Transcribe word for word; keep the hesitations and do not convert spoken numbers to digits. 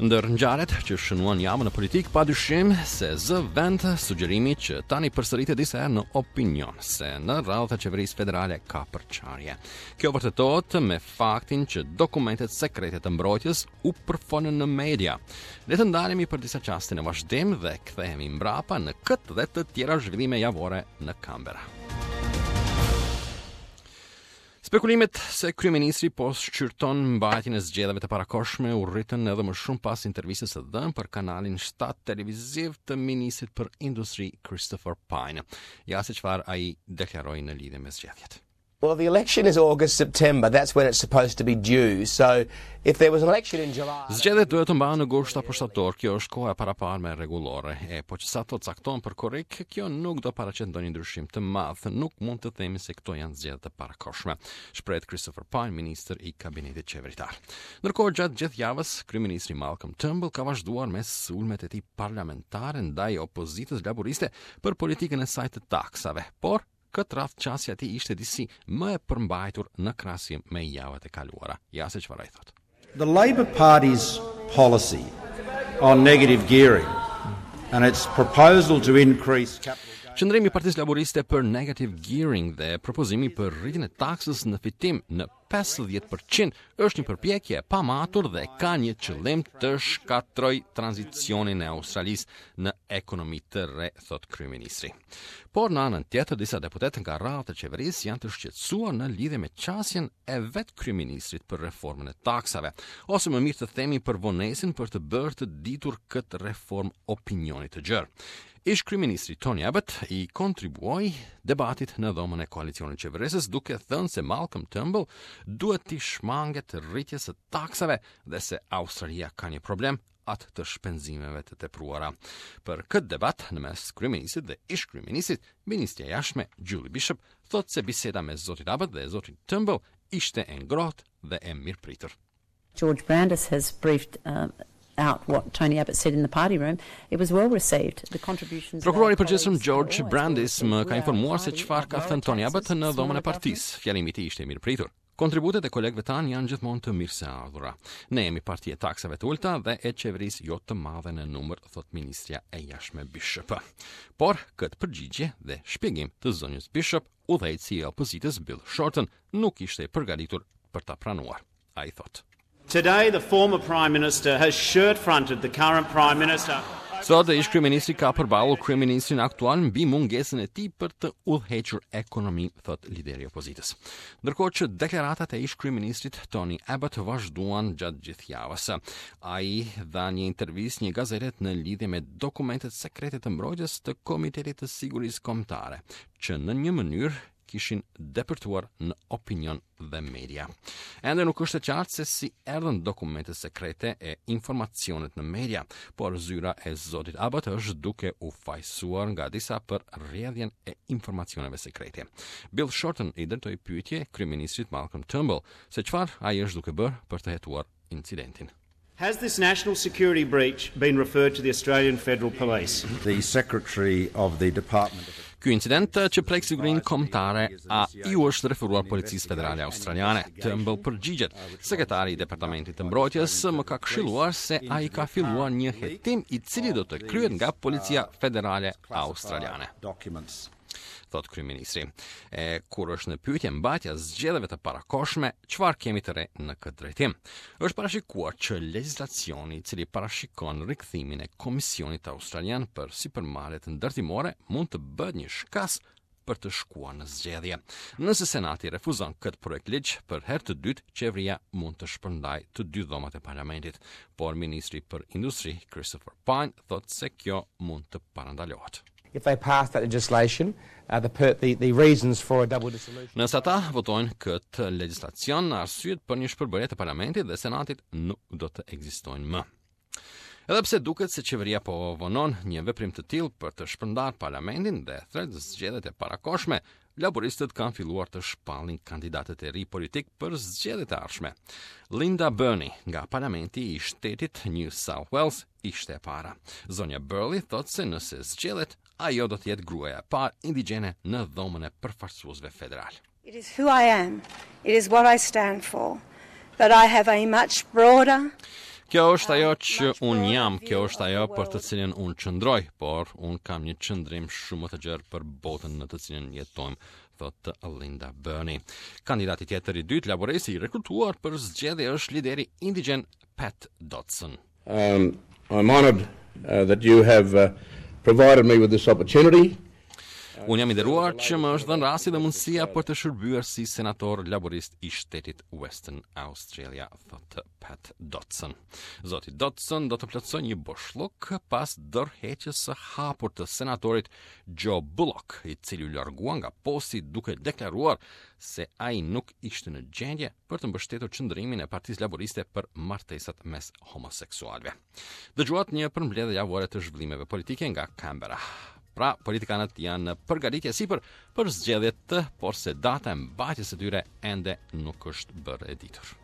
Ndër ngjarjet që shënuan javën në politikë, padyshim se zë vend sugjerimi që tani përsëritet disa herë në opinion se në radhët e qeverisë federale ka përçarje. Kjo vërtetohet me faktin që dokumentet sekrete të mbrojtjes u përfolën në media. Le të ndalemi për disa çaste në vazhdim dhe kthehemi mbrapa në këtë dhe të tjera zhvillime javore në Canberra. Spekulimet se kryeministri po shqyrton mbajtjen e zgjedhjeve të parakohshme u rritën edhe më shumë pas intervistës së dhënë për kanalin shtatë televiziv të ministrit për industri, Christopher Pyne. Ja se çfarë ai deklaroi në lidhje me zgjedhjet. Well, the election is August, September. That's when it's supposed to be due. So if there was an election in July. Zgjedhjet duhet të mbahen në gusht apo shtator. Kjo është koha e paraparë me rregullore. E po që sa to caktohen për korrik, kjo nuk do paraqet ndonjë ndryshim të madh. Nuk mund të themi se këto janë zgjedhje të parakohshme, shprehet Christopher Pyne, ministër i kabinetit qeveritar. Ndërkohë, gjatë gjithë javës, kryeministri Malcolm Turnbull ka vazhduar me sulmet e tij parlamentare ndaj opozitës laboriste për politikën e saj të taksave, por këtë radhë qasja e tij ishte disi më e përmbajtur në krahasim me javët e kaluara. Ja se çfarë ai thotë. The Labor Party's policy on negative gearing and its proposal to increase capital Qëndrimi i Partisë Laboriste për negative gearing dhe propozimi për rritjen e taksës në fitim në pesëdhjetë për qind është një përpjekje e pamatur dhe ka një qëllim të shkatërroj tranzicionin e Australisë në ekonomi të re, thot kryeministri. Por në anën tjetër, disa deputetë nga radhët e qeverisë janë të shqetësuar në lidhje me qasjen e vetë kryeministrit për reformën e taksave, ose më mirë të themi për vonesën për të bërë të ditur këtë reformë opinionit të gjerë. Ish kryeministri Tony Abbott i kontribuoi debatit në dhomën e koalicionit qeverisës, duke thënë se Malcolm Turnbull duhet t'i shmanget rritjes së taksave dhe se Australia ka një problem, atë të shpenzimeve të tepruara. Për këtë debat në mes kryeministrit dhe ish kryeministrit, ministrja e jashtme Julie Bishop thotë se biseda me zotin Abbott dhe zotin Turnbull ishte e ngrohtë dhe e mirëpritur. George Brandis has briefed uh, out what Tony Abbott said in the party room. It was well received. The contributions Prokurori i përgjithshëm George Brandis më ka informuar se çfarë ka thënë Tony Abbott në dhomën e partisë. Fjalimi i tij ishte i mirëpritur. Kontributet e kolegëve tanë janë gjithmonë të mirëseardhura. Ne jemi parti e taksave të ulta dhe e qeverisë jo të madhe në numër, thot ministrja e jashtme Bishop. Por këtë përgjigje dhe shpjegim të zonjës Bishop, udhëheqësi i opozitës Bill Shorten nuk ishte i përgatitur për ta pranuar. Ai thot: Today, the former Prime Minister has shirt-fronted the current Prime Minister. Sot ish kryeministri ka përballur kryeministrin aktual mbi mungesën e tij për të udhëhequr ekonominë, thot lideri i opozitës. Ndërkohë që deklaratat e ish kryeministrit Tony Abbott vazhduan gjatë gjithë javës. Ai dha një intervistë një gazetet në lidhje me dokumentet sekrete të mbrojtjes të Komitetit të Sigurisë Kombëtare, që në një mënyrë kishin depërtuar në opinion dhe media. Ende nuk është e qartë se si erdhën dokumentet sekrete e informacionet në media, por zyra e zotit Abbott është duke u fajsuar nga disa për rrjedhjen e informacioneve sekrete. Bill Shorten i drejtoi pyetje kryeministrit Malcolm Turnbull se çfarë ai është duke bërë për të hetuar incidentin. Has this national security breach been referred to the Australian Federal Police? The Secretary of the Department of Ky incident që prek sigurinë kombëtare, a iu është referuar Policisë Federale Australiane? Turnbull përgjigjet: Sekretari i Departamentit të Mbrojtjes më ka këshilluar se ai ka filluar një hetim i cili do të kryhet nga Policia Federale Australiane, documents. thot kryeministri. E kur është në pyetje mbajtja zgjedhjeve të parakohshme, çfarë kemi të re në këtë drejtim? Është parashikuar që legjislacioni i cili parashikon rikthimin e Komisionit Australian për sipërmarrjet ndërtimore mund të bëhet një shkas për të shkuar në zgjedhje. Nëse Senati refuzon këtë projekt ligj për herë të dytë, qeveria mund të shpërndaj të dy dhomat e parlamentit, por ministri për industri Christopher Pyne thotë se kjo mund të parandalohet. If they pass that legislation, uh, the, per, the, the reasons for a double dissolution. Nëse ata votojnë këtë legjislacion, arsyet për një shpërbërje të parlamentit dhe senatit nuk do të ekzistojnë më. Edhe pse duket se qeveria po vonon një veprim të tillë për të shpërndar parlamentin dhe thret zgjedhjet e parakohshme, laboristët kanë filluar të shpallin kandidatët e ri politik për zgjedhjet e ardhshme. Linda Burney nga parlamenti i shtetit New South Wales ishte e para. Zonja Burney thotë se nëse zgjedhet, ajo do të jetë gruaja e parë indigjene në dhomën e përfaqësuesve federal. It is who I am. It is what I stand for. But I have a much broader Kjo është ajo që unë jam, kjo është ajo për të cilën unë qëndroj, por unë kam një qëndrim shumë më të gjerë për botën në të cilën jetojmë, thotë Linda Burney. Kandidati tjetër i dytë laborist i rekrutuar për zgjedhje është lideri indigjen Pat Dodson. Um, I'm honored uh, that you have uh, provided me with this opportunity. Unë jam i nderuar që më është dhënë rasti dhe mundësia për të shërbyer si senator laborist i shtetit Western Australia, thotë Pat Dodson. Zoti Dodson do të plotësojë një boshllëk pas dorëheqjes së hapur të senatorit Joe Bullock, i cili u largua nga posti duke deklaruar se ai nuk ishte në gjendje për të mbështetur qëndrimin e Partisë Laboriste për martesat mes homoseksualëve. Dëgjuat një përmbledhje javore të zhvillimeve politike nga Canberra. Pra, politikanët janë në përgatitje sipër për zgjedhjet, por se data e mbajtjes së tyre ende nuk është bërë e ditur.